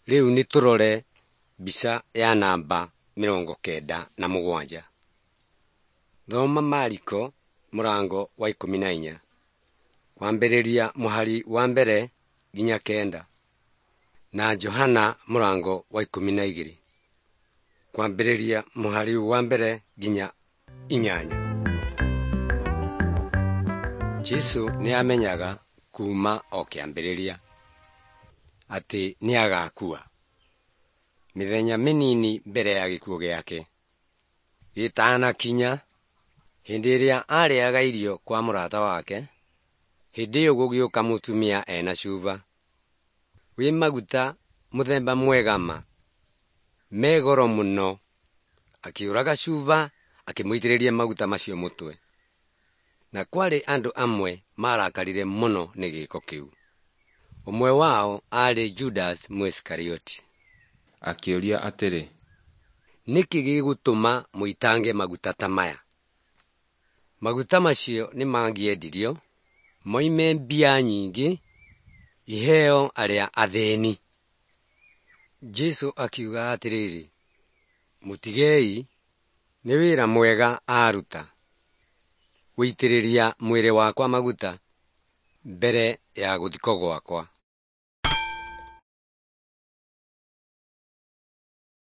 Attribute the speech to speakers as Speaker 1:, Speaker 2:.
Speaker 1: Rĩu nĩ tũrore mbica ya namba 97. Thoma Mariko mũrango wa 14 kwambĩrĩria mũhari wa 1 nginya 9 na Johana mũrango wa 12 kwambĩrĩria mũhari wa 1 nginya 8. Jesu nĩ amenyaga kuuma o kĩambĩrĩria atĩ nĩ agakua. Mĩthenya mĩnini mbere ya gĩkuũ gĩake gĩtanakinya, hĩndĩ ĩrĩa arĩaga irio kwa mũrata wake, hĩndĩ ĩyo gũgĩũka mũtumia ena cuba wĩ maguta mũthemba mwega ma, me goro mũno, akĩũraga cuba akĩmũitĩrĩria maguta macio mũtwe. Na kwarĩ andũ amwe marakarire mũno nĩ gĩko kĩu. Ũmwe wao aarĩ Judas Mũisikarioti.
Speaker 2: Akĩũria atĩrĩ,
Speaker 1: Nĩkĩ gĩgũtũma mũitange maguta ta maya? Maguta macio nĩ mangĩendirio moime mbia nyingĩ iheo arĩa athĩni. Jesu akiuga atĩrĩrĩ, mũtigei, nĩ wĩra mwega aruta, gũitĩrĩria mwĩrĩ wakwa maguta mbere ya gũthikwo gwakwa.